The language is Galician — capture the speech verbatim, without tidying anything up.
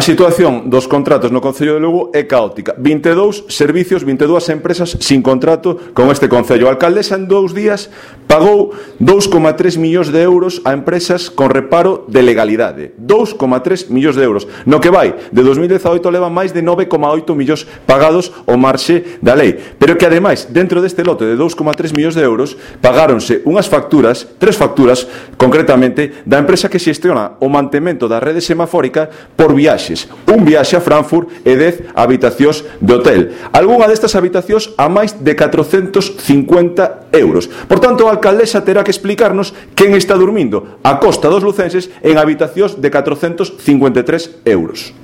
A situación dos contratos no Concello de Lugo é caótica. vinte e dous servicios, vinte e dúas empresas sin contrato con este Concello. A alcaldesa en dous días pagou dous coma tres millóns de euros a empresas con reparo de legalidade. dous coma tres millóns de euros. No que vai, de dos mil dezaoito levan máis de nove coma oito millóns pagados o marxe da lei. Pero que ademais, dentro deste lote de dous coma tres millóns de euros, pagáronse unhas facturas, tres facturas, concretamente, da empresa que xestiona o mantemento da rede semafórica por viaxes. Un viaxe a Frankfurt e dez habitacións de hotel. Algúnha destas habitacións a máis de catrocentos cincuenta euros. Por tanto, a alcaldesa terá que explicarnos quen está dormindo a costa dos lucenses en habitacións de catrocentos cincuenta e tres euros.